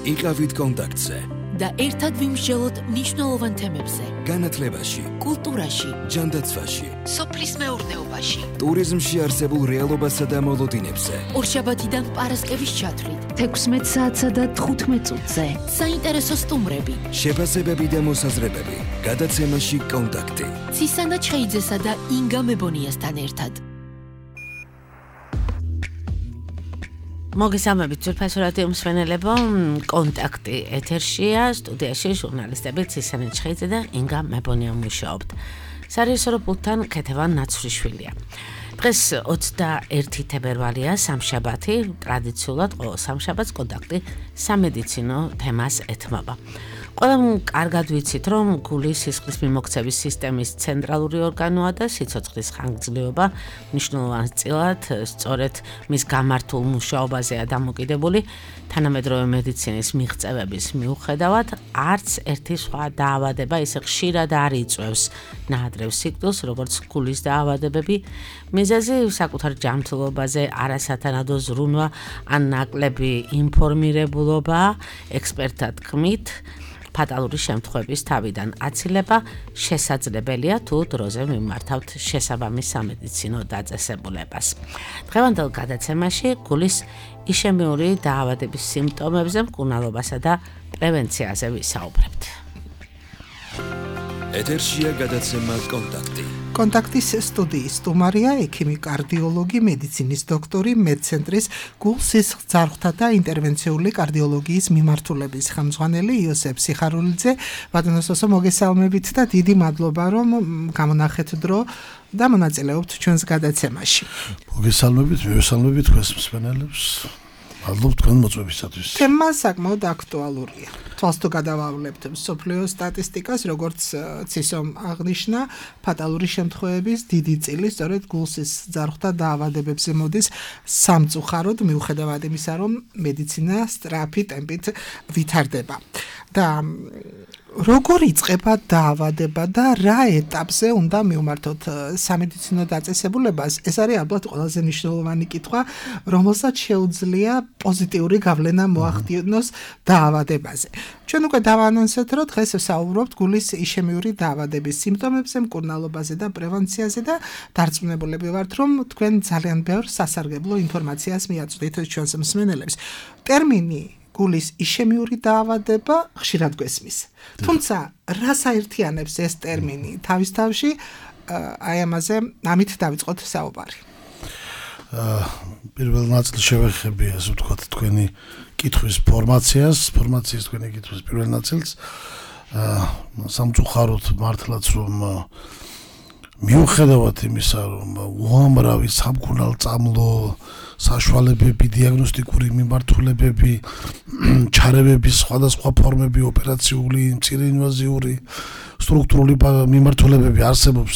იყავით კონტაქტზე და ერთად ვიმსჯელოთ მნიშვნელოვან თემებზე. განათლებაში, კულტურაში, ჯანდაცვაში, სოფლის მეურნეობაში, ტურიზმში არსებულ რეალობასა და მოლოდინებზე. ორშაბათიდან პარასკევის ჩათვლით, 16 საათსა და 15 წუთზე. საინტერესო სტუმრები, შეფასებები და მოსაზრებები. გადაცემაში კონტაქტი. ცისანა ჩხეიძესა და ინგა მებონიასთან ერთად. მოგესალმებით ძვირფასო რადიო მსმენელებო, კონტაქტი ეთერშია, სტუდიაში ჟურნალისტები ცისანა ჩხეიძე და ინგა მებონია მუშაობთ. სარეჟისორო პულტთან ქეთევან ნაცვლიშვილია. დღეს 21 თებერვალია, სამშაბათი, ტრადიციულად ყოველ სამშაბათს კონტაქტი სამედიცინო თემას ეთმობა. ყველამ კარგად ვიცით, რომ გულის სისხლის მიმოქცევის სისტემის ცენტრალური ორგანოა და სიცოცხლის ხანგრძლივობა მნიშვნელოვან წილად სწორედ მის გამართულ მუშაობაზეა დამოკიდებული. თანამედროვე მედიცინის მიღწევების მიუხედავად, არც ერთი სხვა დაავადება ისე ხშირად არ იწვევს ნაადრევ სიკვდილს, როგორც გულის დაავადებები. მიზეზი საკუთარ ჯანმრთელობაზე არასათანადო ზრუნვა ან ნაკლები ინფორმირებულობა, ექსპერტთა თქმით, ფატალური შემთხვევების თავიდან აცილება შესაძლებელია თუ დროზე მიმართავთ შესაბამის სამედიცინო დაწესებულებას. დღევანდელ გადაცემაში გულის იშემიური დაავადების სიმპტომებზე, მკურნალობასა და პრევენციაზე ვისაუბრებთ. ეთერშია გადაცემა კონტაქტი. კონტაქტის სტუდიის სტუმარია ექიმი კარდიოლოგი, მედიცინის დოქტორი, მედცენტრის გულ-სისხლძარღვთა და ინტერვენციული კარდიოლოგიის მიმართულების ხელმძღვანელი იოსებ სიხარულიძე. ბატონოსო, მოგესალმებით და დიდი მადლობა, რომ გამონახეთ დრო და მონაწილეობთ ჩვენს გადაცემაში. მოგესალმებით, მივესალმებით თქვენს მსმენელებს. მადლობთ თქვენ მოწვევისათვის. თემა საკმაოდ აქტუალურია. თვალს თუ გადავავლებთ მსოფლიო სტატისტიკას, როგორც ცისომ აღნიშნა, ფატალური შემთხვევების დიდი წილი სწორედ გულ-სისხლძარღვთა დაავადებებზე მოდის სამწუხაროდ, მიუხედავად იმისა, რომ მედიცინა სწრაფი ტემპით ვითარდება. და როგორ იწყება დაავადება და რა ეტაპზე უნდა მივმართოთ სამედიცინო დაწესებულებას? ეს არის ალბათ ყველაზე მნიშვნელოვანი კითხვა, რომელსაც შეუძლია პოზიტიური გავლენა მოახდინოს დაავადებაზე. ჩვენ უკვე დავაანონსეთ, რომ დღეს ვსაუბრობთ გულის იშემიური დაავადების სიმპტომებზე, მკურნალობაზე და პრევენციაზე და დარწმუნებულები ვართ, რომ თქვენ ძალიან ბევრ სასარგებლო ინფორმაციას მიაწვდით ჩვენს მსმენელებს. ტერმინი გულის იშემიური დაავადება ხშირად გვესმის. თუმცა, რას აერთიანებს ეს ტერმინი? თავის თავში აი ამაზე ამით დავიწყოთ საუბარი. პირველ ნაწილს შევეხები, ასე ვთქვათ, თქვენი კითხვის ფორმაციის თქვენი კითხვის პირველ ნაწილს. სამწუხაროდ მართლაც რომ მიუხედავად იმისა, რომ უამრავი სამკურნალ-წამლო საშუალებები, დიაგნოსტიკური მიმართულებები, ჩარევების სხვადასხვა ფორმები, ოპერაციული, მცირე ინვაზიური, სტრუქტურული მიმართულებები არსებობს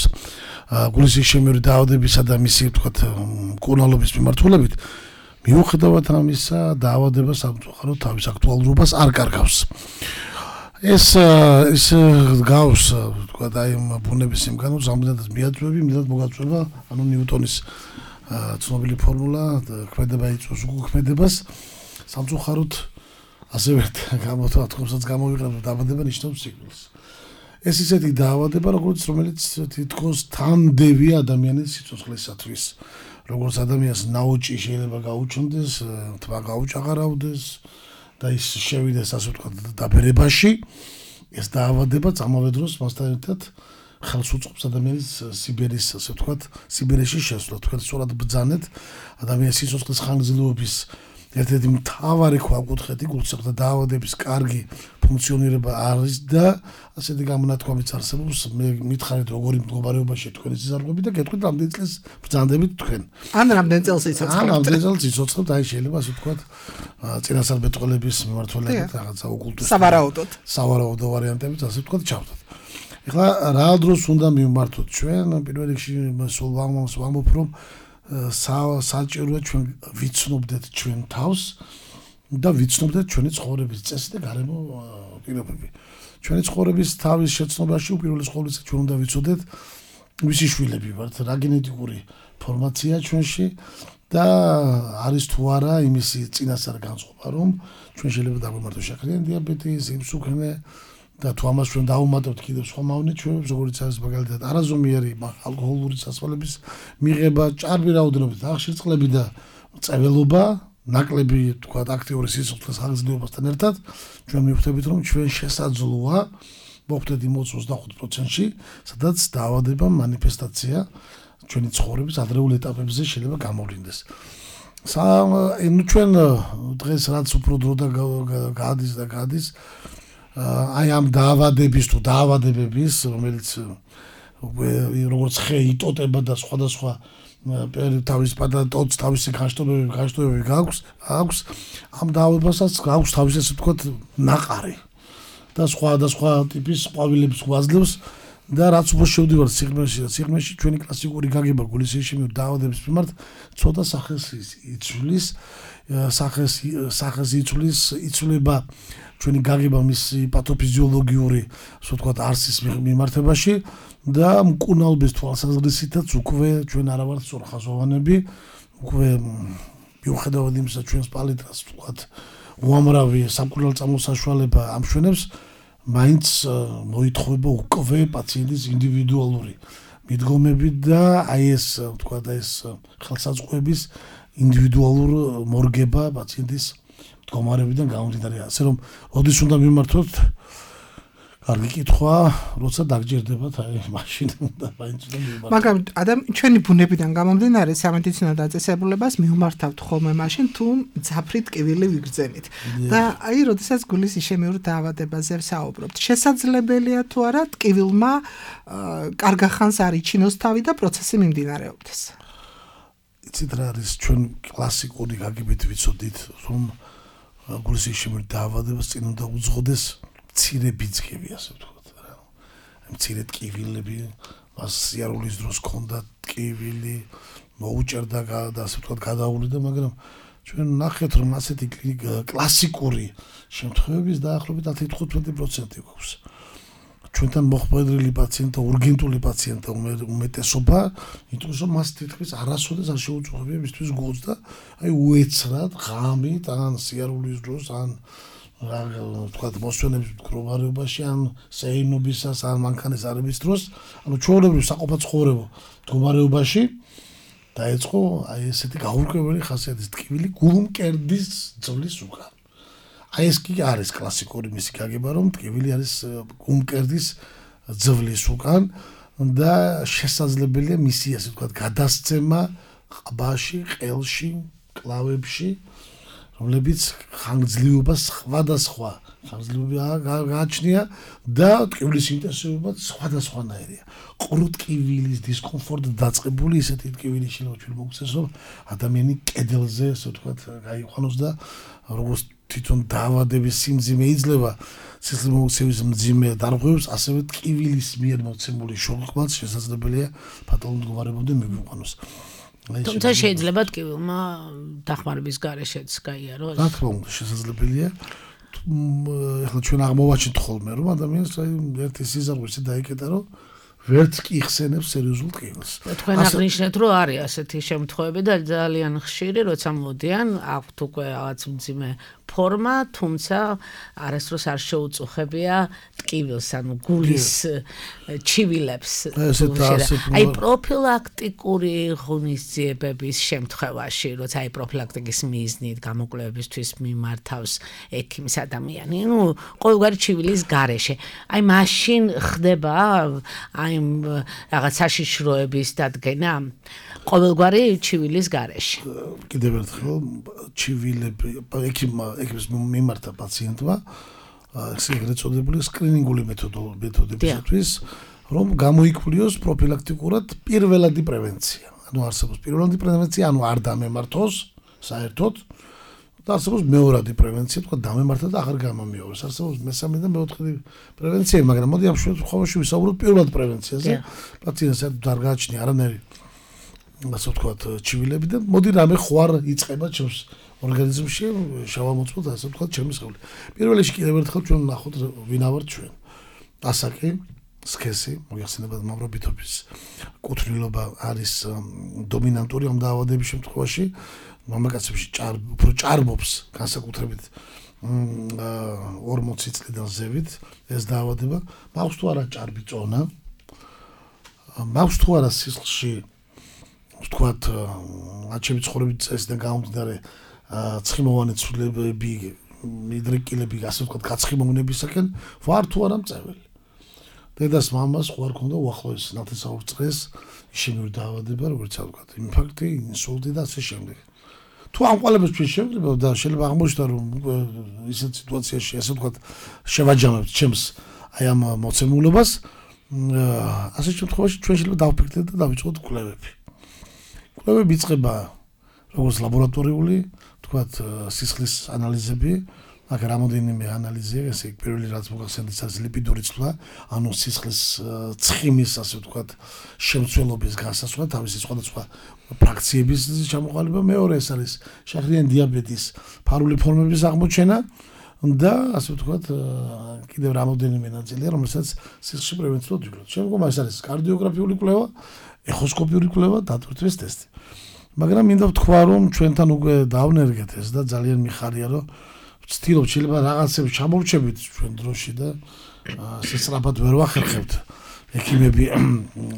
გულის იშემიური დაავადებისა და მისი, ვთქვათ, მკურნალობის მიმართულებით, მიუხედავად ამისა, დაავადება სამწუხაროდ თავის აქტუალურობას არ კარგავს. ეს გავს, ვთქვათ, აი ბუნების იმ განოს ამდენად მიაწვევი, მიდად მოგაწვევა, ანუ ნიუტონის ცნობილი ფორმულა, ქმედება იწვევს უკქმედებას. სამწუხაროდ ასევე თქმასაც გამოვიყენებ, დაავადება ნიშნავს სიკვდილს. ეს ისეთი დაავადება, რომელიც თითქოს თანდევია ადამიანის სიცოცხლესათვის. როგორც ადამიანს ნაოჭი შეიძლება გაუჩნდეს, თმა გაუჭაღარავდეს და ის შევიდეს, ასე ვთქვათ, დაბერებაში, ეს დაავადება ამავე დროს მასთან ერთად ხელს უწყობს ადამიანის სიბერის, ასე ვთქვათ, სიბერეში შესვლა. თქვენ სწორად ბრძანეთ ადამიანის სიცოცხლის ხანგრძლივობის ერთ-ერთი მთავარი ქვაკუთხედი გულსახმელთა დაავადების კარგი ფუნქციონირება არის და ასეთი გამონათქვამიც არსებობს. მე მითხარით, როგორი მდგომარეობაშია თქვენი სიზარღვები და გეტყვით, რამდენი წელს ბრძანდებით თქვენ. ან რამდენი წელს იცოცხლებთ? ან რამდენი წელს იცოცხლებთ, აი შეიძლება ასე ვთქვათ, წინასწარმეტყველების მიმართულებით რაღაცა ოკულტური სავარაუდო ვარიანტებით, ასე ვთქვათ, ჩავდოთ. ეხლა რა დროს უნდა მივმართოთ ჩვენ? პირველ რიგში სულ ვამბობ, რომ საჭიროა ჩვენ ვიცნობდეთ ჩვენ თავს და ვიცნობდეთ ჩვენი ცხოვრების წესი და გარემო პირობები. ჩვენი ცხოვრების თავის შეცნობაში უპირველეს ყოვლისა ჩვენ უნდა ვიცოდეთ ვისი შვილები ვართ, რა გენეტიკური ფორმაცია ჩვენში და არის თუ არა იმის წინასწარ განწყობა, რომ ჩვენ შეიძლება დაგვემართოს შაქრიანი დიაბეტი, სიმსუქნე და თუ ამას ჩვენ დავუმატებთ კიდევ სხვა მავნეჩვევებს, როგორც არის მაგალითად არაზომიერი ალკოჰოლური სასმელების მიღება, ჭარბი რაოდენობით აღშერწყლები და წეველობა, ნაკლები თქვა აქტიური სისხლის ხანგრძლივობასთან ერთად, ჩვენ მივხვდებით, რომ ჩვენ შესაძლოა მოხვდეთ იმ 25%-ში, სადაც დაავადება მანიფესტაცია ჩვენი ცხოვრების ადრეულ ეტაპებზე შეიძლება გამოვლინდეს. ჩვენ დღეს რაც უფრო დრო და გადის აი ამ დაავადების თუ დაავადებების, რომელიც როგორც ხე იტოტება და სხვადასხვა თავის პატატოც თავისი განშტოებები აქვს, ამ დაავადებასაც აქვს თავისი ასე ვთქვათ ნაყარი და სხვა ტიპის ყვავილებს გვაძლევს და რაც უფრო შევდივართ სიღრმეში ჩვენი კლასიკური გაგება გულისხმობ დაავადების მიმართ ცოტა სახეს იცვლება ჩვენი გაგება მისი პათოფიზიოლოგიური ასე ვთქვათ არსის მიმართებაში და მკურნალობის თვალსაზრისითაც უკვე ჩვენ არა ვართ სწორხაზოვანები, უკვე მიუხედავად იმისა ჩვენს პალიტრას ვთქვათ უამრავი სამკურნალო საშუალება ამშვენებს, მაინც მოითხოვება უკვე პაციენტის ინდივიდუალური მიდგომები და აი ეს ვთქვათ ეს ხელსაწყოების ინდივიდუალურ მორგება პაციენტის მდგომარეობიდან გამომდინარე, ასე რომ როდის უნდა მიმართოთ კარგი კითხვა, როცა დაგჯერდებათ აი მაშინ და მაინც უნდა მიმართოთ. მაგრამ ჩვენი ბუნებიდან გამომდინარე სამედიცინო დაწესებულებას მივმართავთ ხოლმე მაშინ თუ მძაფრი ტკივილი ვიგრძენით. და აი როდესაც გულის იშემიურ დაავადებაზე ვსაუბრობთ, შესაძლებელია თუ არა ტკივილმა კარგახანს არ იჩინოს თავი და პროცესი მიმდინარეობდეს. იცით რა არის ჩვენ კლასიკური გაგებით ვიცოდით, რომ გულის იშემიურ დაავადებას წინ უნდა უძღოდეს მცირე ბიძგები, ასე ვთქვათ რა. მცირე ტკივილები, მას სიარულის დროს ქონდა ტკივილი, მოუჭერდა და ასე ვთქვათ გადაუვლიდა, მაგრამ ჩვენ ნახეთ, რომ ასეთი კლასიკური შემთხვევების დაახლოებით 10-15% გვაქვს. ჩვენთან მოხმარებული პაციენტთა, урგენტული პაციენტთა უმეტესობა, იმიტომ რომ მას თითქმის არასოდეს არ შეუძლია მისთვის გულს და აი უეცრად ღამით ან სიარულის დროს ან ვთქვათ მოსვენების მდგომარეობაში ან სეინობისას ან მანქანის არების დროს, ანუ ჩვეულებრივ საყოფაცხოვრებო მდგომარეობაში დაეწყო აი ესეთი გაურკვეველი ხასიათის ტკივილი გულმკერდის ძვლის უკან. აი ეს კი არის კლასიკური მისი გაგება, რომ ტკივილი არის გულმკერდის ძვლის უკან და შესაძლებელია მისი ასე ვთქვათ გადასცემა ყბაში, ყელში, კლავებში, რომლებიც ხანგრძლივობას სხვადასხვა ხანგრძლივობა გააჩნია და ტკივილის ინტენსივობა სხვადასხვანაირია. ყრუტკივილის დისკომფორტი დაწყებული ისეთი ტკივილი შეიძლება ჩვენ მოგცეს, რომ ადამიანი კედელზე ასე ვთქვათ გაიყვანოს და როგორც თვითონ დაავადების სიმძიმე იძლევა სისხლმომცემის მძიმე დარღვევებს, ასევე ტკივილის მიერ მოცემული შოკმაც შესაძლებელია ფატალურ მდგომარეობამდე მივიყვანოს. თუმცა შეიძლება ტკივილმა დახმარების გარეშეც გაიაროს. რა თქმა უნდა, შესაძლებელია. ეხლა ჩვენ აღმოვაჩინთ ხოლმე, რომ ადამიანს ერთი სიზარღვისი დაიკეტა, რომ ვერც კი იხსენებს სერიოზულ ტკივილს. თქვენ აღნიშნეთ, რომ არის ასეთი შემთხვევები და ძალიან ხშირი, როცა მოდიან, აქვთ უკვე რაღაც მძიმე ფორმა, თუმცა არასდროს არ შეუწუხებია ტკივილს, ანუ გულის ჩივილებს. აი პროფილაქტიკური ღონისძიებების შემთხვევაში, როცა აი პროფილაქტიკის მიზნით გამოკვლევებისთვის მიმართავს ექიმის ადამიანი, ნუ ყოველგვარი ჩივილის გარეშე. აი მაშინ ხდება აი რაღაც საშიშროების დადგენა ყოველგვარი ჩივილის გარეშე. კიდევ ერთხელ ჩივილები ექიმის მიმართა პაციენტმა ეგრეთ წოდებული სკრინინგული მეთოდებისათვის, რომ გამოიკვლიოს პროფილაქტიკურად პირველადი პრევენცია. ანუ არსებობს პირველადი პრევენცია, ანუ არ დამემართოს საერთოდ და არსებობს მეორადი პრევენცია, თქვა დამემართა და აღარ გამომიოვეს. არსებობს მესამე და მეოთხე პრევენცია, მაგრამ მოდი ამ შემთხვევაში ვისაუბროთ პირველად პრევენციაზე. პაციენტს არ გააჩნია არანაირი ასე ვთქვათ ჩივილები და მოდი რამე ხوار იწყება ჩემს ორგანიზმში, შევამოწმოთ ასე ვთქვათ ჩემი სხეული. პირველ რიგში კიდევ ერთხელ ჩვენ ნახოთ ვინა ვართ ჩვენ. ასაკი, სქესი, მოიხსენებათ მამრობითობის კუთვნილობა არის დომინანტური ამ დაავადების შემთხვევაში, მამაკაცებში უფრო ჭარბობს განსაკუთრებით 40 წლიდან ზევით ეს დაავადება, მაქვს თუ არა ჭარბი წონა, მაქვს თუ არა სისხლში ვთქვათ, აჩემი ცხოვრების წესიდან გამომდინარე ცხიმოვანი ცვლილებები, მიდრეკილები, ასე ვთქვათ, გაცხიმოვნებისაკენ ვარ თუ არა მწეველი. დედას მამას ხო არ ქონდა უახლოეს ნათესაურ წრეს ისინი დაავადება, როგორც ვთქვათ, ინფარქტი, ინსულტი და ასე შემდეგ. თუ ამ ყველაფერს ჩვენ შევძლებავ და შეიძლება აღმოჩნდა რომ ისეთ სიტუაციაში, ასე ვთქვათ, შევაჯამებთ ჩემს აი ამ მოცემულობას, ასე შემთხვევაში ჩვენ შეიძლება დავფიქრდეთ და დავიწყოთ კვლევები. კვლევები იწყება როგორც ლაბორატორიული, ვთქვათ, სისხლის ანალიზები, აქ რამოდენიმე ანალიზია, ესე იგი პირველი რაც მოგახსენეთ არის ლიპიდური ცვლა, ანუ სისხლის ცხიმის, ასე ვთქვათ, შემცველობის განსაზღვრა, თავისი სხვადასხვა ფრაქციების ჩამოყალიბება, მეორე ეს არის შაქრიანი დიაბეტის ფარული ფორმების აღმოჩენა და ასე ვთქვათ, კიდევ რამოდენიმე ნაწილია, რომელსაც სისხლში პრევენციულად ვიკვლევთ. შემდგომ ეს არის კარდიოგრაფიული კვლევა, ეხოსკოპიური კვლევა, დატვირთვის ტესტი. მაგრამ მინდა ვთქვა, რომ ჩვენთან უკვე დავნერგეთ ეს და ძალიან მიხარია, რომ ვცდილობთ შეიძლება რაღაცებს ჩამოვრჩებით ჩვენ დროში და სისწრაფად ვერ ვახერხებთ ექიმები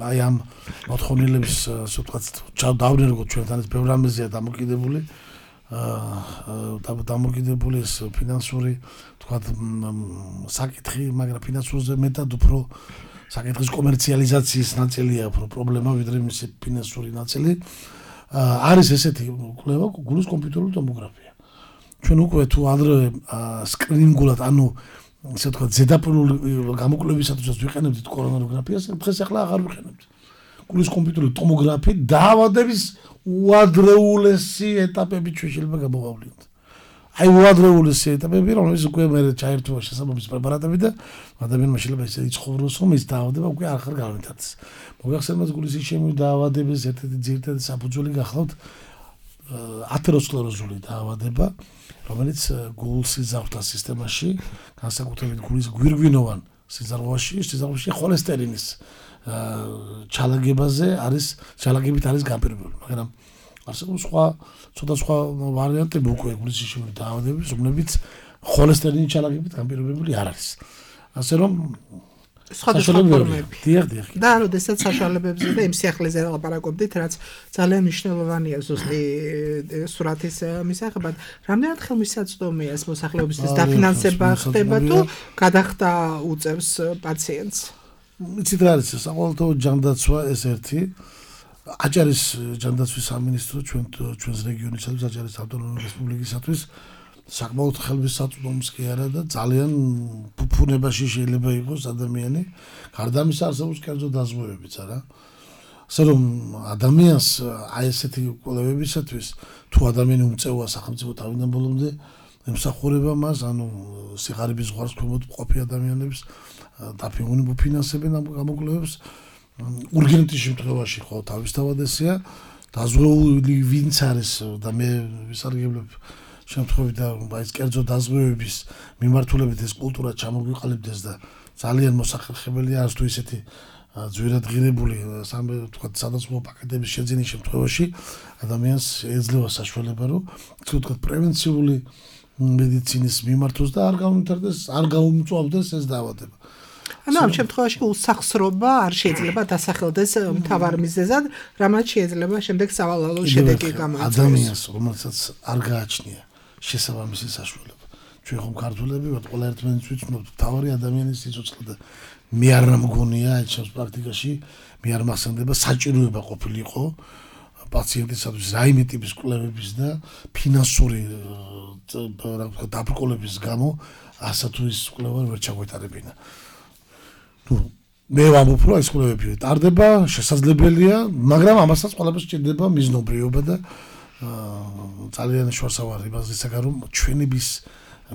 აი ამ მოთხოვნილების ასე ვთქვათ დავნერგოთ ჩვენთან ეს ბევრ რამეზეა დამოკიდებული ეს ფინანსური ვთქვათ საკითხი, მაგრამ ფინანსურზე მეტად უფრო საკითხის კომერციალიზაციის ნაწილია უფრო პრობლემა ვიდრე მისი ფინანსური ნაწილი. არის ესეთი კვლევა გულის კომპიუტერული ტომოგრაფია. ჩვენ უკვე თუ ადრე სკრინინგულად, ანუ ასე ვთქვათ, ზედაპირული გამოკვლევისათვის ვიყენებდით კორონაროგრაფიას, დღეს ახლა აღარ ვიყენებთ. გულის კომპიუტერული ტომოგრაფია დაავადების უადრეულესი ეტაპები ჩვენ შეიძლება გამოვავლინოთ. აი უადრეულესი ეტაპები, რომელიც უკვე მე ჩაერთვა შესაბამის პრეპარატები და ადამიანმა შეიძლება ისე იცხოვროს, რომ ის დაავადება უკვე აღარ გამიტაცს. მოგახსენებთ გულის ისჩემური დაავადების ერთ-ერთი ძირითადი საფუძველი გახლავთ ათეროსკლეროზული დაავადება, რომელიც გულს სიზარღვთა სისტემაში, განსაკუთრებით გულის გვირგვინოვან სიზარღვაში ხოლესტერინის ჩალაგებით არის გაპირობებული, მაგრამ არსებობს ცოტა სხვა ვარიანტები უკვე გულის ისჩემური დაავადების, რომლებიც ხოლესტერინის ჩალაგებით გაპირობებული არ არის. ასე რომ სხვადასხვა ფორმები. დიახ. და როდესაც საშუალებებზე და იმ სიახლეზე ლაპარაკობდით, რაც ძალიან მნიშვნელოვანია ზუსტი სურათის მისაღებად, რამდენად ხელმისაწვდომია ეს მოსახლეობისთვის დაფინანსება ხდება თუ გადახდა უწევს პაციენტს? იცით რა არის, საყოველთაო ჯანდაცვა ეს ერთი აჭარის ჯანდაცვის სამინისტრო ჩვენს რეგიონისათვის, აჭარის ავტონომიური რესპუბლიკისათვის საკმაოდ ხელმისაწვდომს კი არა და ძალიან ფუფუნებაში შეიძლება იყოს ადამიანი, გარდა ამისა არსებობს კერძო დაზღვევებიც არა. ასე რომ ადამიანს აი ესეთი კვლევებისათვის თუ ადამიანი უმწევა სახელმწიფო თავიდან ბოლომდე ემსახურება მას, ანუ სიღარიბის ზღვარს ქვემოთ მყოფი ადამიანებს დაფინანსებენ ფინანსებენ ამ გამოკვლევებს. ურგენტის შემთხვევაში ხო თავისთავად ესეა, დაზღვეული ვინც არის და მე ვისარგებლებ შემთხვევით და ეს კერძო დაზღვევების მიმართულებით ეს კულტურა ჩამოგვიყალიბდეს და ძალიან მოსახერხებელია არის თუ ისეთი ძვირადღირებული ვთქვათ სადაზღვევო პაკეტების შეძენის შემთხვევაში ადამიანს ეძლევა საშუალება რომ ვთქვათ პრევენციული მედიცინის მიმართოს და არ გაუმწვავდეს ეს დაავადება. ანუ ამ შემთხვევაში უსახსრობა არ შეიძლება დასახელდეს მთავარ მიზეზად, რამაც შეიძლება შემდეგ სავალალო შედეგი გამოიწვიოს. ადამიანს რომელსაც არ გააჩნია შესაბამისი საშუალება. ჩვენ ხომ ქართველები ვართ, ყველა ერთმანეთს ვიცნობთ, თავარი ადამიანის სიცოცხლე და მე არ მგონია აი ჩემს პრაქტიკაში მე არ მახსენდება საჭიროება ყოფილიყო პაციენტისათვის რაიმე ტიპის კვლევების და ფინანსური რა ვთქვა დაბრკოლების გამო ასა თუ ის კვლევა ვერ ჩაგვეტარებინა. მე ვამბობ, რომ ეს კვლევები ტარდება, შესაძლებელია, მაგრამ ამასაც ყველაფერს სჭირდება მიზნობრიობა და ძალიან შორსავარ იმასისაგან რომ ჩვენების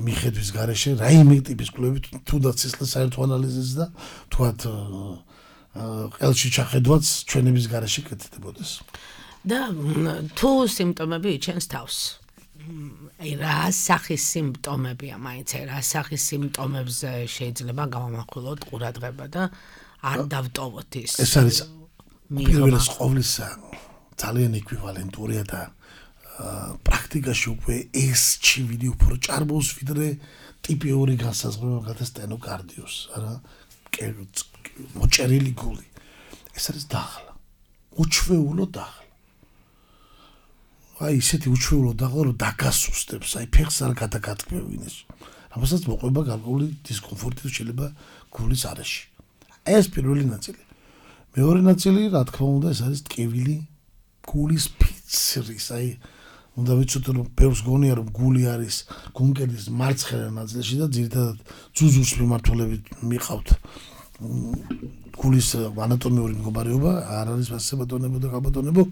მიხედვის გარეშე რაიმე ტიპის კვლევები თუნდაც სისხლის საერთო ანალიზის და თქვათ ყელში ჩახედვაც ჩვენების გარეშე კეთდებოდეს. და თუ სიმპტომები იჩენს თავს. აი რა სახის სიმპტომებია, მაინც რა სახის სიმპტომებზე შეიძლება გავამახვილოთ ყურადღება და არ დავტოვოთ ის. ეს არის პირველს ყოვლისა ძალიან ეკვივალენტურია და პრაქტიკაში უკვე ეს ჩივიდი უფრო ჭარბობს ვიდრე ტიპიური განსაზღვრება გადა სტენოკარდიოს, არა მოჭერილი გული. ეს არის დაღლა. უჩვეულო დაღლა. აი ისეთი უჩვეულო დაღლა რომ დაგასუსტებს, აი ფეხს არ გადაგატკბევინეს. რამასაც მოყვება გარკვეული დისკომფორტი შეიძლება გულის არეში. ეს პირველი ნაწილი. მეორე ნაწილი, რა თქმა უნდა, ეს არის ტკივილი გულის ფიცრის, აი უნდა ვიცოდე რომ ბევრს გონია რომ გული არის გულმკერდის მარცხენა ნაწილში და ძირითადად ძუძუს მიმართულებით მიყავთ გულის ანატომიური მდგომარეობა არ არის მასებადონებო და გაბატონებო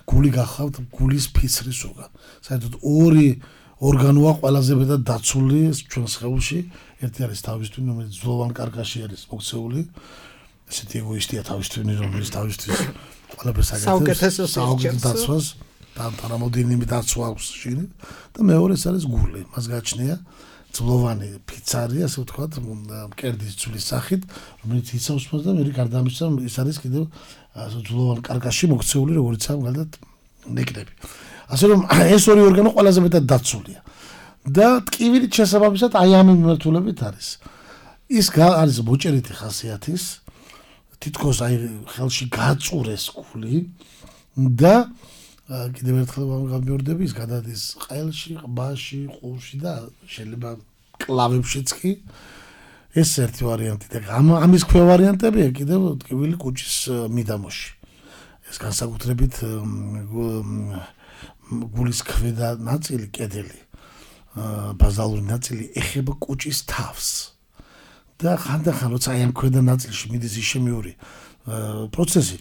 გული გახავთ გულის ფიცრის ზოგად. საერთოდ ორი ორგანოა ყველაზე მეტად დაცული ჩვენ სხეულში. ერთი არის თავის თვინი, რომელიც ძვლოვან კარკაში არის მოქცეული. ესეთი ეგოისტია თავის თვინი, რომელიც თავისთვის ყველაფერს აკეთებს. საუკეთესო დაცვას და რამოდენიმე დაცვა აქვს შიგნით და მეორე ეს არის გული. მას გააჩნია ძვლოვანი ფიცარი, ასე ვთქვათ, მკერდის ძვლის სახით, რომელიც იცავს მას და მე გარდამისცა ის არის კიდევ ძვლოვან კარკაში მოქცეული, როგორც ამ გალდათ ნეკნები. ასე რომ ეს ორი ორგანო ყველაზე მეტად დაცულია. და ტკივილით შესაბამისად აი ამ მიმართულებით არის. ის არის მოჭერითი ხასიათის, თითქოს აი ხელში გაწურეს გული და კიდევ ერთხელ გამიორდები ის გადადის ყელში, ყბაში, ყურში და შეიძლება კლავებშიც კი. ეს ერთი ვარიანტი და ამის ქვე ვარიანტებია კიდევ ტკივილი კუჭის მიდამოში. ეს განსაკუთრებით გულის ქვედა ნაწილი, კედელი, ბაზალური ნაწილი ეხება კუჭის თავს. და ხანდახან როცა აი ამ ქვედა ნაწილში მიდის ისემიური პროცესი,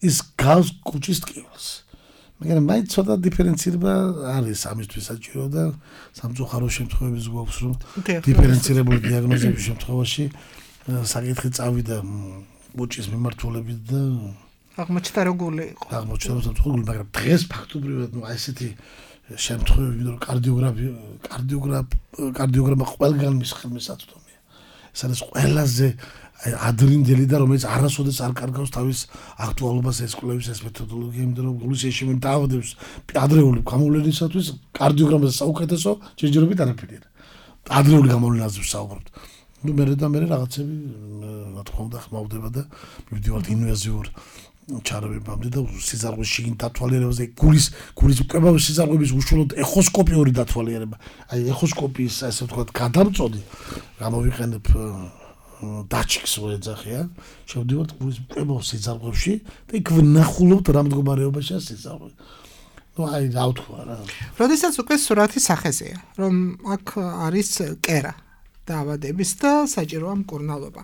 ის გავს კუჭის ტკივილს. მაგრამ მაინც ცოტა დიფერენცირება არის ამისთვის საჭირო და სამწუხარო შემთხვევების გვაქვს რომ დიფერენცირებული დიაგნოზების შემთხვევაში საკითხი წავიდა კუჭის მიმართულებით და აღმოჩნდა რომ გული იყო. აღმოჩნდა რომ გული, მაგრამ დღეს ფაქტობრივად ნუ აი ესეთი შემთხვევები რომ კარდიოგრამა ყველგან მის ხელმისაწვდომია. ეს არის ყველაზე ადრინდელი და რომელიც არასოდეს არ კარგავს თავის აქტუალობას ეს კვლევის ეს მეთოდოლოგია, იმიტომ რომ გულის ეშემი დაავადებს ადრეული გამოვლენისათვის კარდიოგრამაზე საუკეთესო ჯერჯერობით არაფერი არა. ადრეული გამოვლენაზე ვსაუბრობთ. ნუ მე რაღაცები რა თქმა უნდა ხმავდება და მივდივართ ინვაზიურ ჩარევებამდე და სიზარღვის შიგნით დათვალიერებაზე გულის უკებავი სიზარღვების უშუალოდ ეხოსკოპიური დათვალიერება. აი ეხოსკოპიის ასე ვთქვათ გადამწოდი გამოვიყენებ დაჩიქს ვეძახია, შევდივართ გულის უკებავ სიზარღვებში და იქ ვნახულობთ რა მდგომარეობაშია სიზარღვე. ნუ აი რა ვთქვა რა. როდესაც უკვე სურათი სახეზეა, რომ აქ არის კერა დაავადების და საჭიროა მკურნალობა.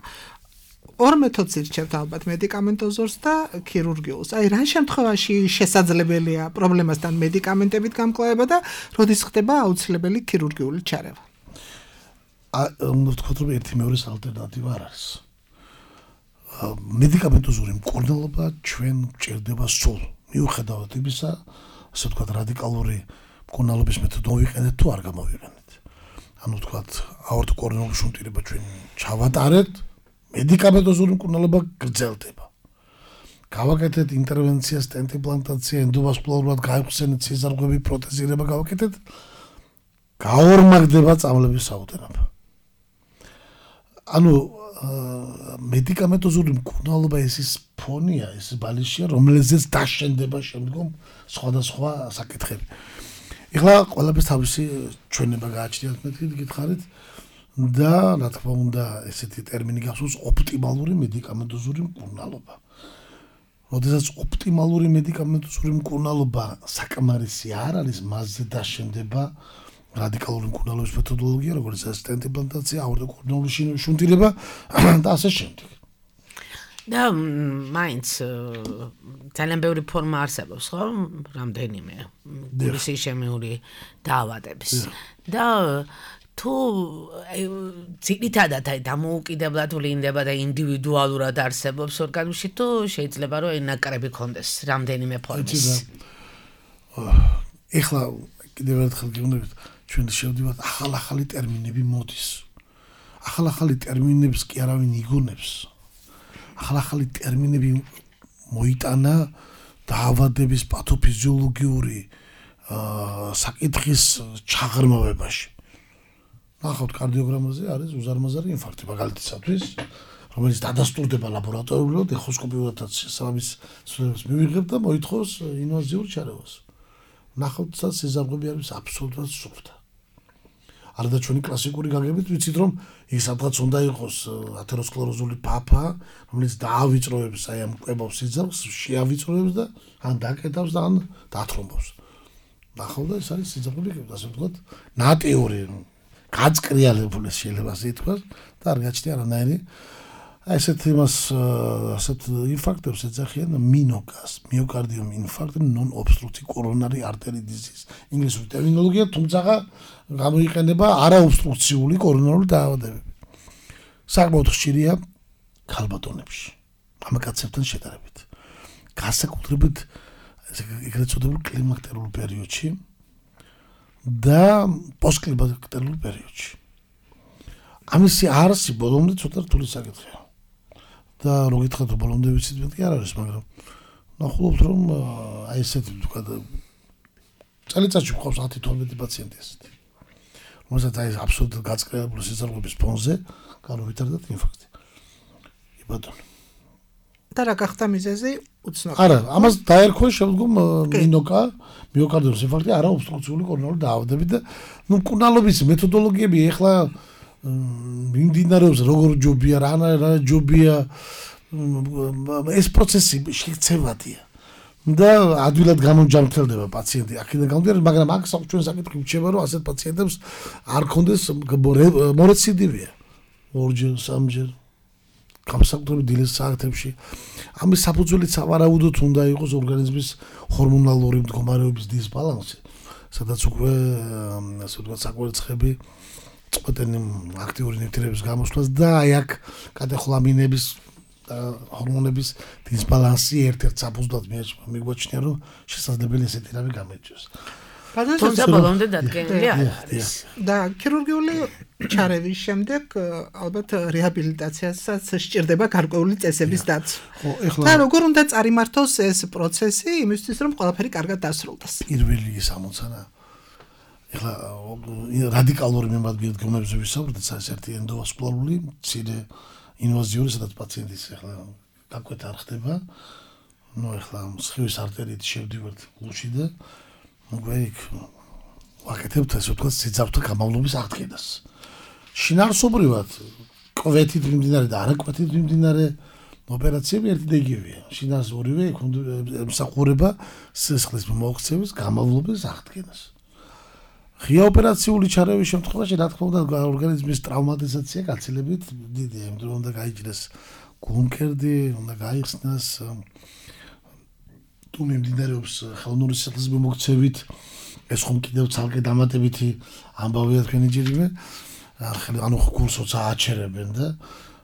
ორ მეთოდს ირჩევთ ალბათ მედიკამენტოზორს და ქირურგიულს. აი რა შემთხვევაში შესაძლებელია პრობლემასთან მედიკამენტებით გამკლავება და როდის ხდება აუცილებელი ქირურგიული ჩარევა? უნდა ვთქვათ რომ ერთი მეორეს ალტერნატივა არ არის. მედიკამენტოზური მკურნალობა ჩვენ გვჭირდება სულ. მიუხედავად იმისა, ასე ვთქვათ რადიკალური მკურნალობის მეთოდი მოვიყენეთ თუ არ გამოვიყენეთ. ანუ ვთქვათ აორტოკორონული შუნტირება ჩვენ ჩავატარეთ, მედიკამენტოზური მკურნალობა გრძელდება. გავაკეთეთ ინტერვენცია, სტენტ იმპლანტაცია, ენდოვასკულარულად გაიხსენეთ სიზარღვები, პროტეზირება გავაკეთეთ, გაორმაგდება წამლების საუტენობა. ანუ მედიკამენტოზური მკურნალობა ის ფონია, ეს ბალიშია, რომელზეც დაშენდება შემდგომ სხვადასხვა საკითხები. ეხლა ყველაფერს თავისი ჩვენება გააჩნიათ მეთქით გითხარით და რა თქმა უნდა ესეთი ტერმინი გახსოვს ოპტიმალური მედიკამენტოზური მკურნალობა. როდესაც ოპტიმალური მედიკამენტოზური მკურნალობა საკმარისი არ არის, მასზე დაშენდება რადიკალური მკურნალობის მეთოდოლოგია, როგორც სტენტ იმპლანტაცია, აორტოკორონული შუნტირება და ასე შემდეგ. და მაინც ძალიან ბევრი ფორმა არსებობს, ხო? რამდენიმე გულის ისემიური დაავადების. და თუ ძირითადად დამოუკიდებლად ვლინდება და ინდივიდუალურად არსებობს ორგანიზმში, თუ შეიძლება რომ ენაკრები ქონდეს რამდენიმე ფორმის. ეხლა კიდევ ერთხელ გიგონებით ჩვენ შევდივართ ახალ-ახალი ტერმინები მოდის. ახალ-ახალი ტერმინებს კი არავინ იგონებს. ახალ-ახალი ტერმინები მოიტანა დაავადების პათოფიზიოლოგიური საკითხის ჩაღრმავებაში. ნახავთ კარდიოგრამაზე არის უზარმაზარი ინფარქტი მაგალითისათვის, რომელიც დადასტურდება ლაბორატორიულად, ეხოსკოპიურადაც შესაბამის ცნობებს მივიღებ და მოითხოვს ინვაზიურ ჩარევას. ნახავთ სიზარღვები არის აბსოლუტურად სუფთა. არადა ჩვენი კლასიკური გაგებით ვიცით რომ ის სადღაც უნდა იყოს ათეროსკლეროზული ფაფა, რომელიც დაავიწროებს აი ამ კვებავს სიძახს, შეავიწროებს და ან დაკეტავს და ან დათრომბავს. ნახავთ და ეს არის სიძახები, ასე ვთქვათ, ნატიური გაწყრიალებული შეიძლება ასე ითქვას და არ გაჩნია არანაირი ასეთ იმას ასეთ ინფარქტებს ეძახიან მინოკას, მიოკარდიუმ ინფარქტ, non-obstructive coronary artery disease. ინგლისური ტერმინოლოგია, თუმცა გამოიყენება არაობსტრუქციული კორონარული დაავადებები. საკმაოდ ხშირია ქალბატონებში, მამაკაცებთან შედარებით. განსაკუთრებით ეგრეთ წოდებულ კლიმაქტერულ პერიოდში და პოსტკლიმაქტერულ პერიოდში. ამისი არსი ბოლომდე ცოტა რთული საკითხია. და რო გითხრათ ბოლომდე ვიცით მეტი არ არის, მაგრამ ნახულობთ რომ აი ესეთი ვთქვათ წელიწადში გვყავს 10-12 პაციენტი ესეთი. რომელსაც აი აბსოლუტურად გაწყრიალებული სიზარღვების ფონზე განუვითარდათ ინფარქტი. იბატონო. და რა გახდა მიზეზი? უცნობია. არა, ამას დაერქვა შემდგომ მინოკა, მიოკარდიუმის ინფარქტი, არაობსტრუქციული კორონარული დაავადებები და ნუ მკურნალობის მეთოდოლოგიები ეხლა მიმდინარეობს როგორ ჯობია, რა ჯობია, ეს პროცესი შექცევადია. და ადვილად გამომჯამრთელდება პაციენტი აქედან გამომდინარე, მაგრამ აქ ჩვენ საკითხი გვჩება, რომ ასეთ პაციენტებს არ ქონდეს მორეციდივია. ორჯერ, სამჯერ გამსაკუთრებით დილის საათებში. ამის საფუძველიც სავარაუდოდ უნდა იყოს ორგანიზმის ჰორმონალური მდგომარეობის დისბალანსი, სადაც უკვე ასე ვთქვათ საკვერცხები წყვეტენ აქტიური ნივთიერების გამოსვლას და აი აქ კატეხოლამინების და ჰორმონების დისბალანსი ერთ-ერთ საფუძვლად მიგვაჩნია, რომ შესაძლებელი ესეთი რამე გამოიწვიოს. თუმცა ბოლომდე დადგენილი არ არის. და ქირურგიული ჩარევის შემდეგ ალბათ რეაბილიტაციასაც სჭირდება გარკვეული წესების დაცვა. და როგორ უნდა წარიმართოს ეს პროცესი იმისთვის, რომ ყველაფერი კარგად დასრულდეს? პირველი ის ამოცანა ეხლა რადიკალური მიმართულებით ვისაუბრეთ, ეს ერთი ენდოვასკულარული მცირე ინვაზიური, სადაც პაციენტის ეხლა გაკვეთა არ ხდება. ნუ ეხლა სხივის არტერიით შევდივართ გულში და უკვე იქ ვაკეთებთ ასე ვთქვათ სიძავთა გამავლობის აღდგენას. შინაარსობრივად კვეთით მიმდინარე და არაკვეთით მიმდინარე ოპერაციები ერთი და იგივეა. შინაარს ორივე ემსახურება სისხლის მოოქცევის გამავლობის აღდგენას. ღია ოპერაციული ჩარევის შემთხვევაში რა თქმა უნდა ორგანიზმის ტრავმატიზაცია გაცილებით დიდია, იმიტომ რომ უნდა გაიჭრეს გულმკერდი, უნდა გაიხსნას თუ მიმდინარეობს ხელოვნური სისხლის მიმოქცევით, ეს ხომ კიდევ ცალკე დამატებითი ამბავია თქვენი ჯერიმე, ანუ გულსოც ააჩერებენ და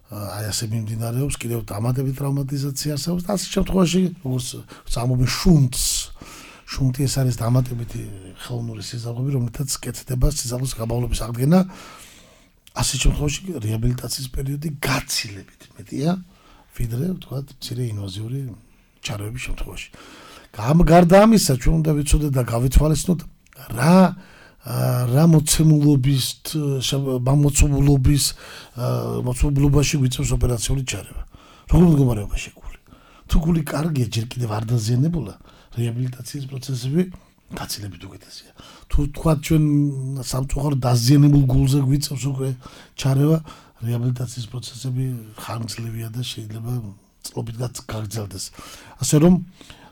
აი ასე მიმდინარეობს კიდევ დამატებითი ტრავმატიზაცია არსებობს და ასეთ შემთხვევაში როგორც წამობენ შუნტი ეს არის დამატებითი ხელოვნური სიზარღვები, რომელთაც კეთდება სიზარღვის გამავლობის აღდგენა. ასეთ შემთხვევაში რეაბილიტაციის პერიოდი გაცილებით მეტია, ვიდრე ვთქვათ მცირე ინვაზიური ჩარევის შემთხვევაში. გარდა ამისა, ჩვენ უნდა ვიცოდეთ და გავითვალისწინოთ რა მოცულობაში გვიწევს ოპერაციული ჩარევა. როგორ მდგომარეობაში გული? თუ გული კარგია, ჯერ კიდევ არ დაზიანებულა, რეაბილიტაციის პროცესები გაცილებით უკეთესია. თუ თქვათ ჩვენ სამწუხაროდ დაზიანებულ გულზე გვიწევს უკვე ჩარევა, რეაბილიტაციის პროცესები ხანგრძლივია და შეიძლება წლობით გაგრძელდეს. ასე რომ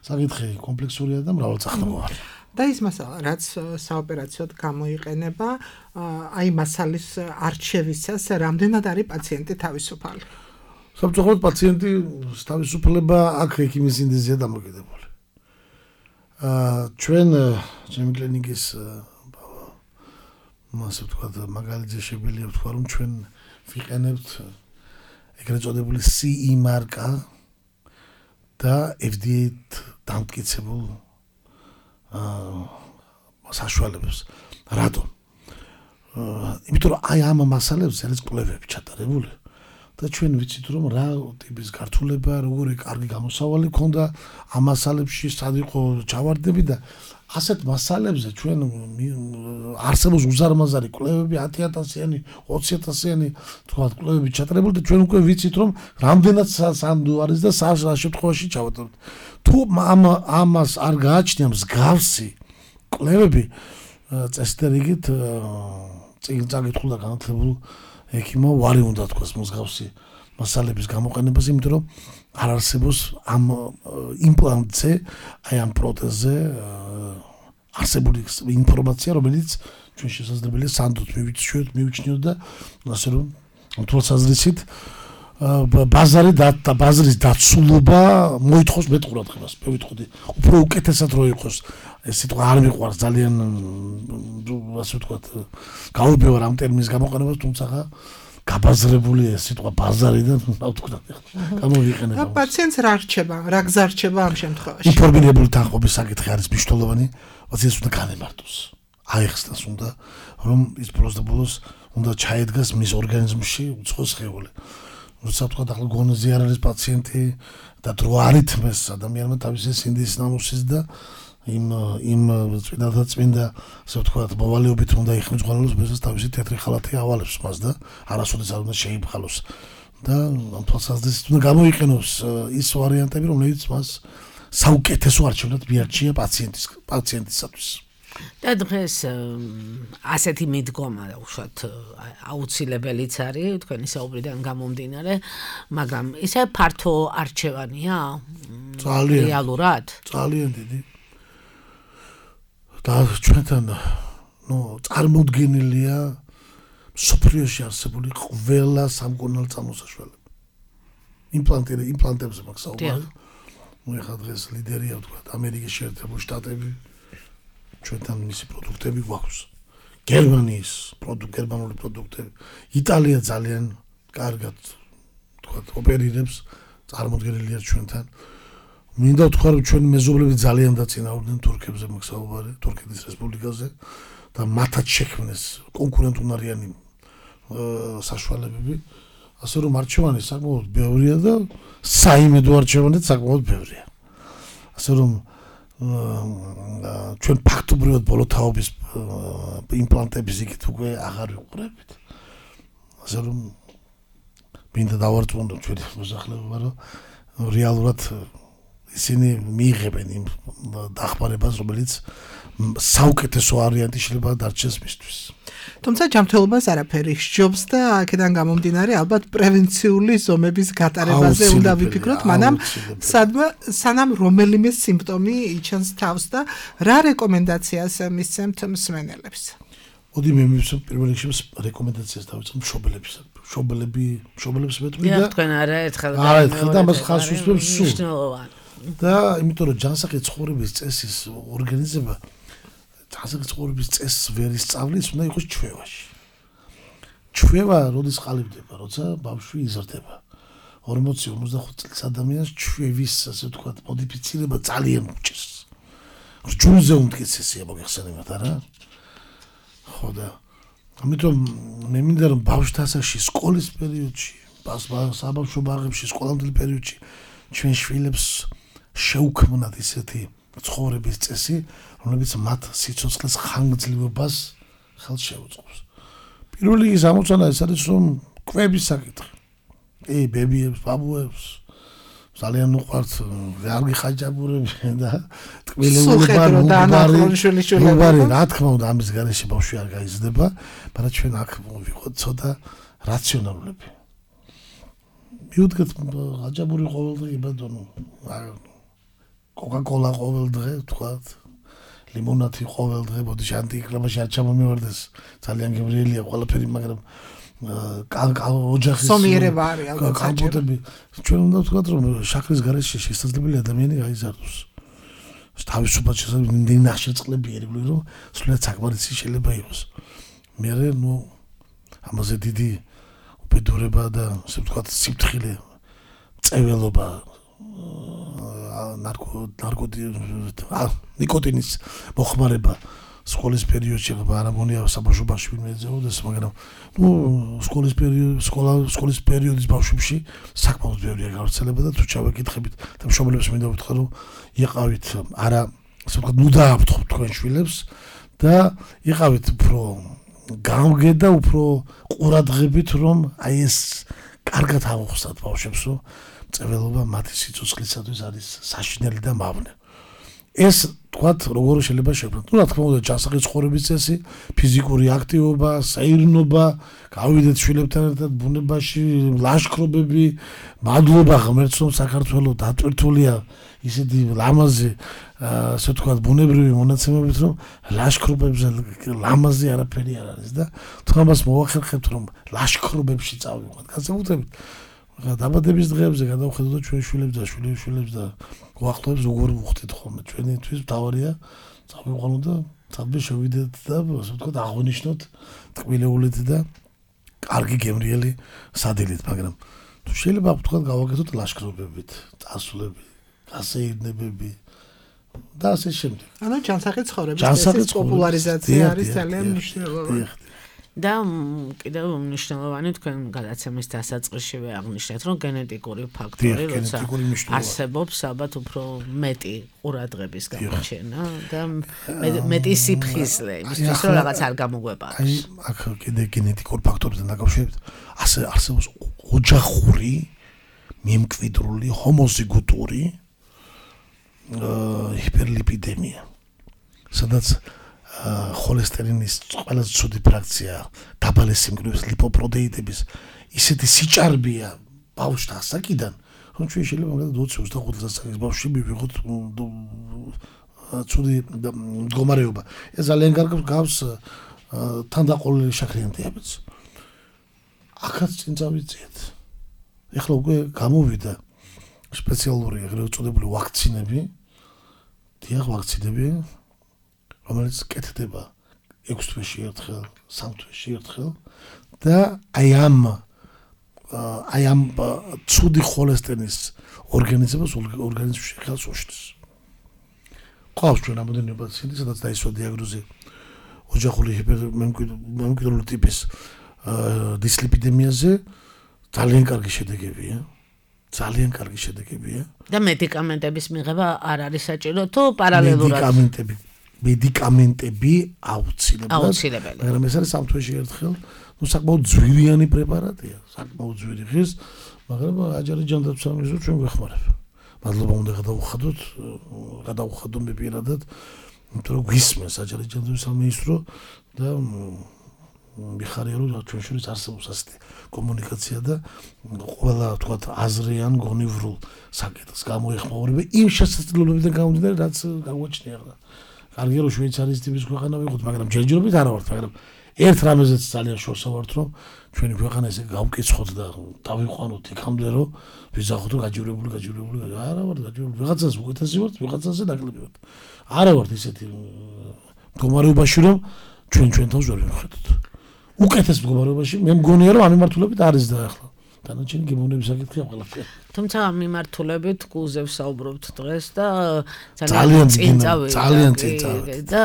საკითხი კომპლექსურია და მრავალწახნაგოვანი. და ის მასალა, რაც საოპერაციოდ გამოიყენება, აი მასალის არჩევისას რამდენად არის პაციენტი თავისუფალი? სამწუხაროდ პაციენტი თავისუფლება აქ ექიმის ინდიზია დამოკიდებული. ჩვენ ჩემი კლინიკის ასე ვთქვათ, მაგალითზე შეგვიძლია ვთქვა, რომ ჩვენ ვიყენებთ ეგრეთ წოდებული CE მარკა და FDA-ით დამტკიცებულ საშუალებებს. რატომ? იმიტომ რომ აი ამ მასალებზე არის კვლევები ჩატარებული, და ჩვენ ვიცით რომ რა ტიპის გართულება, როგორი კარგი გამოსავალი ქონდა ამ მასალებში, სად იყო ჩავარდები და ასეთ მასალებზე ჩვენ არსებობს უზარმაზარი კვლევები 10,000-იანი, 20,000-იანი თქვა კვლევები ჩატარებული და ჩვენ უკვე ვიცით რომ რამდენად სანდო არის და რა შემთხვევაში ჩავარდებთ. თუ ამას არ გააჩნია მსგავსი კვლევები წესდერიგით წინ წაკითხულდა განათლებულ ექიმმა ვარი უნდა თქვას მსგავსი მასალების გამოყენებას, იმიტომ რომ არ არსებობს ამ იმპლანტზე, აი ამ პროთეზზე არსებული ინფორმაცია, რომელიც ჩვენ შესაძლებელია სანდოთ მივიჩნიოთ და ასე რომ თვალსაზრისით ბაზრის დაცულობა მოითხოვს მეტ ყურადღებას. მე ვიტყოდი, უფრო უკეთესად რო იყოს ეს სიტყვა არ მიყვარს ძალიან ასე ვთქვათ, გაურბევარ ამ ტერმინის გამოყენებას, თუმცა გაბაზრებული ეს სიტყვა ბაზარიდან რა ვთქვათ, გამოვიყენება. პაციენტს რა რჩება, რა გზა რჩება ამ შემთხვევაში? ინფორმირებული თანხმობის საკითხი არის მნიშვნელოვანი, პაციენტს უნდა განემართოს. აიხსნას უნდა, რომ ის ბოლოს და ბოლოს უნდა ჩაედგას მის ორგანიზმში უცხო სხეული. როცა თქვა ახლა გონოზე არ არის პაციენტი და დრო არ ითმეს ადამიანმა თავისი სინდის ნამუსის და იმ წმინდა ასე ვთქვათ მოვალეობით უნდა იხმის ღალოს ბეზას თავისი თეთრი ხალათი ავალებს მას და არასოდეს არ უნდა შეიფხალოს და ამ თვალსაზრისით უნდა გამოიყენოს ის ვარიანტები რომელიც მას საუკეთესო არჩევნად მიარჩია პაციენტისათვის. და დღეს ასეთი მიდგომა უშუალოდ აუცილებელიც არის თქვენი საუბრიდან გამომდინარე, მაგრამ ისე ფართო არჩევანია რეალურად? ძალიან დიდი. და ჩვენთან წარმოდგენილია სოფლიოში არსებული ყველა სამკურნალო წამოსაშველები. იმპლანტებზე მაქვს საუბარი. ეხლა დღეს ლიდერია ვთქვათ ამერიკის შეერთებული შტატები. ჩვენთან მისი პროდუქტები გვაქვს. გერმანული პროდუქტები. იტალია ძალიან კარგად ვთქვათ ოპერირებს, წარმოდგენილია ჩვენთან. მინდა ვთქვა რომ ჩვენი მეზობლები ძალიან დაწინაურდნენ თურქებზე მაქვს საუბარი, თურქეთის რესპუბლიკაზე და მათაც შექმნეს კონკურენტუნარიანი საშუალებები. ასე რომ არჩევანი საკმაოდ ბევრია და საიმედო არჩევანიც საკმაოდ ბევრია. ასე რომ ჩვენ ფაქტობრივად ბოლო თაობის იმპლანტების იქით უკვე აღარ ვიყურებით. ასე რომ მინდა დავარწმუნდო ჩვენი მოსახლეობა, რომ რეალურად ისინი მიიღებენ იმ დახმარებას, რომელიც საუკეთესო ვარიანტი შეიძლება დარჩეს მისთვის. თუმცა ჯანმრთელობას არაფერი სჯობს და აქედან გამომდინარე ალბათ პრევენციული ზომების გატარებაზე უნდა ვიფიქროთ, მანამ სანამ რომელიმე სიმპტომი იჩენს თავს და რა რეკომენდაციას მისცემთ მსმენელებს? მოდი მე მივცემ პირველ რიგში რეკომენდაციას დავიწყებ მშობლებს მეტყვი და თქვენ არაერთხელ და მას ხალხს უსვამს სულ. და იმიტომ რომ ჯანსაღი ცხოვრების წესის ორგანიზება ჯანსაღი ცხოვრების წესს ვერ ისწავლის, უნდა იყოს ჩვევაში. ჩვევა როდის ყალიბდება, როცა ბავშვი იზრდება. 40-55 წლის ადამიანს ჩვევის, ასე ვთქვათ, მოდიფიცირება ძალიან უჭირს. რჯულზე უმტკიცესია მოგეხსენებათ, არა? ხო და ამიტომ მე მინდა რომ ბავშვთა ასაკში, სკოლის პერიოდში, საბავშვო ბაღებში, სკოლამდელ პერიოდში ჩვენ შვილებს შეუქმნათ ისეთი ცხოვრების წესი, რომელიც მათ სიცოცხლის ხანგრძლივობას ხელს შეუწყობს. პირველ რიგში ამოცანა ეს არის, რომ კვების საკითხი. ბებიებს, ბაბუებს ძალიან უყვართ, არ გიხაჭაპურებენ და ტკბილებული რა თქმა უნდა ამის გარეშე ბავშვი არ გაიზრდება, მაგრამ ჩვენ აქ ვიყოთ ცოტა რაციონალურები. მივუდგეთ ხაჭაპური ყოველდღე ბატონო, კოკა-კოლა ყოველდღე, ვთქვათ, ლიმონადი ყოველდღე, მოდი ანტიკლამაში არ ჩამომივარდეს, ძალიან გემრიელია ყველაფერი, მაგრამ ოჯახის სომიერება არის ალბათ კამპოტები. ჩვენ უნდა ვთქვათ, რომ შაქრის გარეშე შესაძლებელი ადამიანი გაიზარდოს. თავისუფლად შესაძლებელი ნახშირწყლები ერგვლი, რომ სულად საკმარისი შეიძლება იყოს. მე ამაზე დიდი უბედურება და ასე ვთქვათ, სიფრთხილე, წეველობა, ნიკოტინის მოხმარება სკოლის პერიოდში არ ამონია საბავშვობაში ვინმე ეძებოდეს, მაგრამ სკოლის პერიოდის ბავშვებში საკმაოდ ბევრია გავრცელება და თუ ჩავეკითხებით და მშობლებს მინდა ვთქვა, რომ იყავით არა ასე ვთქვათ, ნუ დააფრთხოთ თქვენ შვილებს და იყავით უფრო გამგე და უფრო ყურადღებით, რომ აი ეს კარგად ამოხსნათ ბავშვებს, რომ წეველობა მათი სიცოცხლისათვის არის საშინელი და მავნე. ეს თქვათ როგორ შეიძლება შექმნათ. რა თქმა უნდა, ჯანსაღი ცხოვრების წესი, ფიზიკური აქტივობა, საირნობა, გავიდეთ შვილებთან ერთად ბუნებაში, ლაშქრობები, მადლობა ღმერთს, რომ საქართველოს დატვირთულია ისეთი ლამაზი, ასე ვთქვათ, ბუნებრივი მონაცემებით, რომ ლაშქრობებზე ლამაზი არაფერი არ არის და თუმცა მოვახერხებთ, რომ ლაშქრობებში წავიღოთ. განსაკუთრებით დაბადების დღეებზე გადავხედოთ ჩვენ შვილებს და შვილებს და გვახლებს როგორ ვუხდით ხოლმე. ჩვენთვის მთავარია წავიყვანოთ და თაბე შევიდეთ და ასე ვთქვათ, აღვნიშნოთ ტკბილეულით და კარგი გემრიელი სადილით, მაგრამ თუ შეიძლება ვთქვათ, გავაკეთოთ ლაშქრობებით, წასვლები, გასეირნებები და ასე შემდეგ. ანუ ჯანსაღი ცხოვრების პოპულარიზაცია არის ძალიან მნიშვნელოვანი. და კიდევ მნიშვნელოვანი თქვენ გადაცემის დასაწყისშივე აღნიშნეთ, რომ გენეტიკური ფაქტორი როცა არსებობს, ალბათ უფრო მეტი ყურადღების გამოჩენა და მეტი სიფხიზლე, იმისთვის რომ რაღაც არ გამოგვეპაროს. აი, აქ კიდე გენეტიკურ ფაქტორებთან დაკავშირებით, ასე არსებობს ოჯახური, მემკვიდრული, ჰომოზიგოტური ჰიპერლიპიდემია, სადაც холестериნის ყველაზე ცუდი ფრაქცია, დაბალი სიმკვრივის ლიპოპროტეიდების ისეთი სიჭარბეა ბავშვთა ასაკიდან, რომ ჩვენ შეიძლება მაგალითად 20-25 წლის ბავშვი მივიღოთ ცუდი მდგომარეობა. ეს ძალიან კარგად გავს თანდაყოლილი შაქრიანი დიაბეტს. აქაც წინ წავიწიეთ. ეხლა უკვე გამოვიდა სპეციალური ეგრეთ წოდებული ვაქცინები, დიახ, ვაქცინები, რომელიც კეთდება 6 თვეში ერთხელ, 3 თვეში ერთხელ და აი ამ ცუდი холестериნის ორგანიზებას ორგანიზმში ხელს უშლის. ყავს ჩვენ რამოდენიმე პაციენტი, სადაც დაისვა დიაგნოზი ოჯახური ჰიპერმემკვიდრული ტიპის დისლიპიდემიაზე, ძალიან კარგი შედეგებია. ძალიან კარგი შედეგებია. და მედიკამენტების მიღება არ არის საჭირო თუ პარალელურად მედიკამენტები აუცილებელი. მაგრამ ეს არის 3 თვეში ერთხელ, საკმაოდ ძვირიანი პრეპარატია, საკმაოდ ძვირი ხის, მაგრამ აჯარი ჯანდაცვის ჩვენ გვეხმარება. მადლობა უნდა გადავუხადო მე პირადად, იმიტომ რომ გვისმენს აჯარი ჯანდაცვის სამინისტრო და მიხარია რომ ჩვენ შორის არსებობს ასეთი კომუნიკაცია და ყველა თქვათ აზრიან გონივრულ საკითხს გამოეხმაურება იმ შესაძლებლობებიდან გამომდინარე, რაც გაგვაჩნია ახლა. კარგია რომ შვეიცარიის ტიპის ქვეყანა ვიყოთ, მაგრამ ჯერჯერობით არა ვართ, მაგრამ ერთ რამეზეც ძალიან შორსა ვართ, რომ ჩვენი ქვეყანა ესე გავკიცხოთ და დავიყვანოთ იქამდე, რომ ვიზახოთ გაჯივრებული. არა ვართ გაჯივრებული, ვიღაცას უკეთესი ვართ, ვიღაცაზე ნაკლები ვართ. არა ვართ ისეთი მდგომარეობაში, რომ ჩვენ თავს ვერ ვხედოთ. უკეთეს მდგომარეობაში მე მგონია, რომ ამ მიმართულებით არის და ახლა დანარჩენი გემოვნების საკითხია ყველაფერი. თუმცა ამ მიმართულებით გულზე ვსაუბრობთ დღეს და ძალიან წინ წავიდა და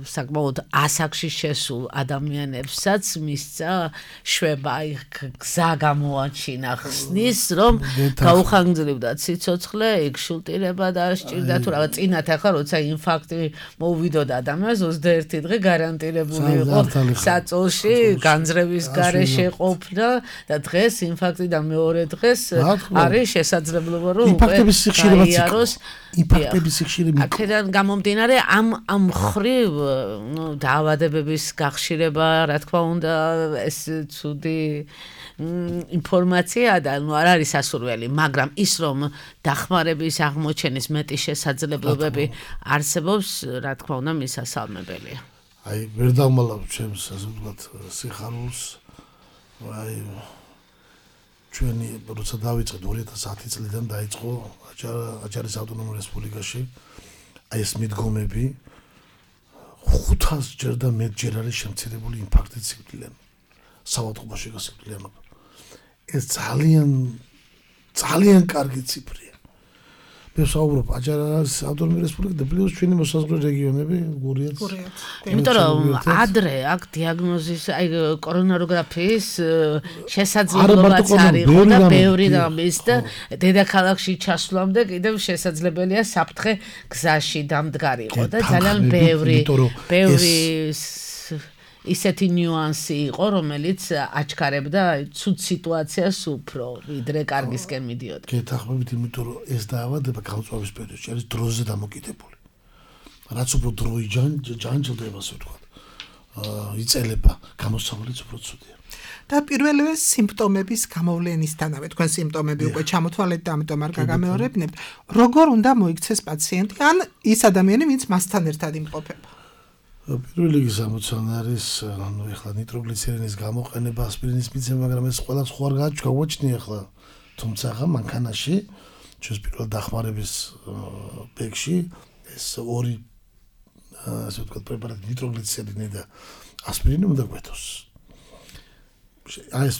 საკმაოდ ასაკში შესულ ადამიანებსაც მისცა შვება გზა გამოაჩინა ხსნის, რომ გაუხანგრძლივდათ სიცოცხლე, იქ შულტირება და სჭირდა თუ რაღაც წინათ ახლა როცა ინფარქტი მოვიდოდა ადამიანს 21 დღე გარანტირებული იყო საწოლში განძრევის გარეშე ყოფნა და დღეს ინფარქტიდან მეორე დღეს არის შესაძლებლობა რომ ინფარქტების სიხშირებაც იყოს. ინფარქტების სიხშირება. აქედან გამომდინარე ამ ხრივ დაავადებების გახშირება, რა თქმა უნდა, ეს ცუდი ინფორმაცია და არ არის ასურველი, მაგრამ ის რომ დახმარების აღმოჩენის მეტი შესაძლებლობები არსებობს, რა თქმა უნდა, მისასალმებელია. აი, ვერ დავმალავ ჩემს ასე ვთქვათ სიხარულს. აი ჩვენი როცა დავიწყეთ 2010 წლიდან დაიწყო აჭარის ავტონომურ რესპუბლიკაში აი ეს მიდგომები 500 ჯერ და მეტჯერ არის შემცირებული ინფარქტით სიკვდილიანობა, საავადმყოფოში გასიკვდილიანობა. ეს ძალიან კარგი ციფრია. მე ვსაუბრობ აჯარ არის ავტონომიური რესპუბლიკა და პლუს ჩვენი მოსაზღვრე რეგიონები გურიაც. იმიტომ რომ ადრე აქ დიაგნოზის აი კორონაროგრაფიის შესაძლებლობაც არის ხო და ბევრი რამის და დედაქალაქში ჩასვლამდე კიდევ შესაძლებელია საფრთხე გზაში დამდგარიყო და ძალიან ბევრი ისეთი ნიუანსი იყო, რომელიც აჩქარებდა ცუდ სიტუაციას უფრო, ვიდრე კარგისკენ მიდიოდა. გეთახმებით, იმიტომ რომ ეს დაავადება გამწვავის პერიოდში არის დროზე დამოკიდებული. რაც უფრო დრო იჯანჯლდება, ასე ვთქვათ. იწელება, გამოსავალიც უფრო ცუდია. და პირველივე სიმპტომების გამოვლენისთანავე, თქვენ სიმპტომები უკვე ჩამოთვალეთ და ამიტომ არ გაგამეორებინებთ, როგორ უნდა მოიქცეს პაციენტი ან ის ადამიანი, ვინც მასთან ერთად იმყოფება? პირველი გამოცანა არის, ანუ ეხლა ნიტროგლიცერინის გამოყენება, ასპირინის მიცემა, მაგრამ ეს ყველა სხვა არ გაგვაჩნია ეხლა. თუმცა ახლა მანქანაში, ჩვენს პირველ დახმარების ბეგში ეს ორი ასე ვთქვათ პრეპარატი ნიტროგლიცერინი და ასპირინი უნდა გვეთოს. აი ეს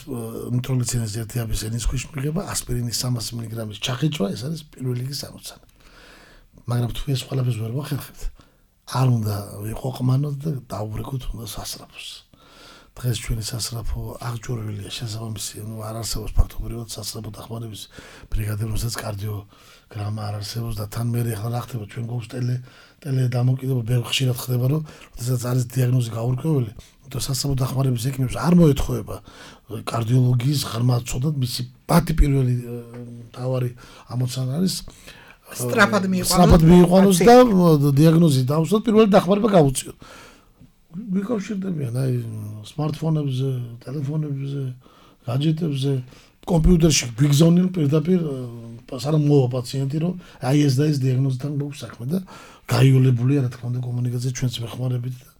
ნიტროგლიცერინის ერთი აბის ენის ქვეშ მიღება, ასპირინის 300 მგ-ის ჩახეჭვა, ეს არის პირველი გამოცანა. მაგრამ თუ ეს ყველაფერს ვერ ვახერხებთ, არ უნდა ვიყო ყმანოთ და დაუბრეკოთ უნდა სასწრაფოს. დღეს ჩვენი სასწრაფო აღჭურვილია შესაბამისი, არ არსებობს ფაქტობრივად სასწრაფო დახმარების ბრიგადა, რომელსაც კარდიოგრამა არ არსებობს და თან მე ახლა რა ხდება ჩვენ გვაქვს ტელე დამოკიდება, ბევრი ხშირად ხდება, რომ შესაძაც არის დიაგნოზი გაურკვეველი, და სასწრაფო დახმარების ექიმებს არ მოეთხოვება კარდიოლოგიის ღრმა ცოდნა, მისი პატი პირველი თავარი ამოცანა არის სწრაფად მიიყვანოს და დიაგნოზი დავსვათ, პირველი დახმარება გავუწიოთ. ვიკავშირდებიან აი სმარტფონებზე, ტელეფონებზე, гаджеტებზე, კომპიუტერში გვიგზავნიან პირდაპირ სანამ მოვა პაციენტი, რომ აი ეს და ეს დიაგნოზთან გვაქვს საქმე და გაიოლებულია რა თქმა უნდა კომუნიკაცია ჩვენს მეხმარებით და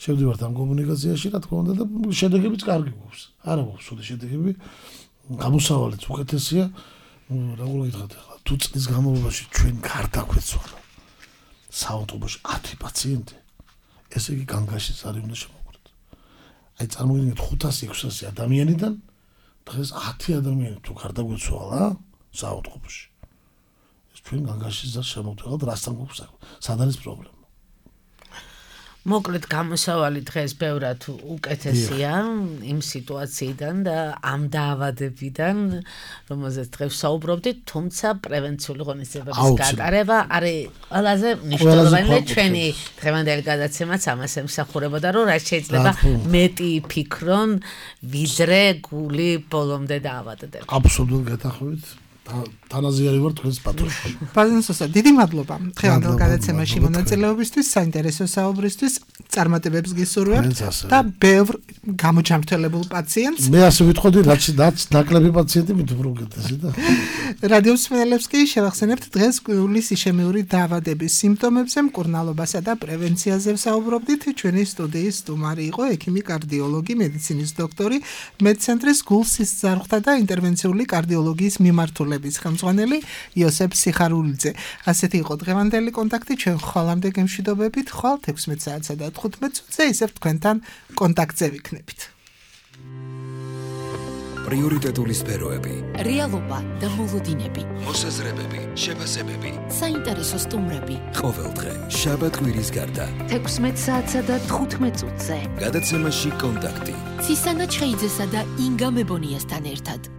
შევდივართ ამ კომუნიკაციაში რა თქმა უნდა და შედეგებიც კარგი გვაქვს. არა გვაქვს სულ შედეგები, გამოსავალიც უკეთესია. როგორ გითხრათ ახლა თუ წლის განმავლობაში ჩვენ გარდაგვეცვალა საავტობუსში 10 პაციენტი, ესე იგი განგაშიც არის უნდა შემოგვიდეთ. აი წარმოგიდგენთ 500-600 ადამიანიდან დღეს 10 ადამიანი თუ გარდაგვეცვალა საავტობუსში. ეს ჩვენ განგაშიც შემოვდგავთ, რასთან გვაქვს საქმე. სად არის პრობლემა? მოკლედ გამოსავალი დღეს ბევრად უკეთესია იმ სიტუაციიდან და ამ დაავადებიდან, რომელზეც დღეს საუბრობდით, თუმცა პრევენციული ღონისძიებების გატარება არის ყველაზე მნიშვნელოვანი და ჩვენი დღევანდელი გადაცემაც ამას ემსახურებოდა, რომ რაც შეიძლება მეტი ფიქრონ, ვიდრე გული ბოლომდე დაავადდება. აბსოლუტურად გეთანხმებით. თანაზიარი ვარ თქვენს პატრონში. ბაზონსოსა, დიდი მადლობა დღევანდელ გადაცემაში მონაწილეობისთვის, საინტერესო საუბრისთვის, წარმატებებს გისურვებთ და ბევრ გამოჯამრთელებულ პაციენტს. მე ასე ვიტყოდი, რაც ნაკლები პაციენტი მით უფრო უკეთესი და რადიო მსმენელებს კი შევახსენებთ დღეს გულის იშემიური დაავადების სიმპტომებზე, მკურნალობასა და პრევენციაზე ვსაუბრობდით. ჩვენი სტუდიის სტუმარი იყო ექიმი კარდიოლოგი, მედიცინის დოქტორი, მედცენტრის გულსის ძარღვთა და ინტერვენციული კარდიოლოგიის მიმართულების ხელმძღვანელი იოსებ სიხარულიძე. ასეთი იყო დღევანდელი კონტაქტი, ჩვენ ხვალამდე გემშვიდობებით, ხვალ 16 საათსა და 15 წუთზე ისევ თქვენთან კონტაქტზე ვიქნებით. პრიორიტეტული სფეროები, რეალობა და მოლოდინები, მოსაზრებები, შეფასებები, საინტერესო სტუმრები. ყოველდღე შაბათ-კვირის გარდა 16 საათსა და 15 წუთზე. გადაცემაში კონტაქტი. ცისანა ჩხეიძესა და ინგა მებონიასთან ერთად.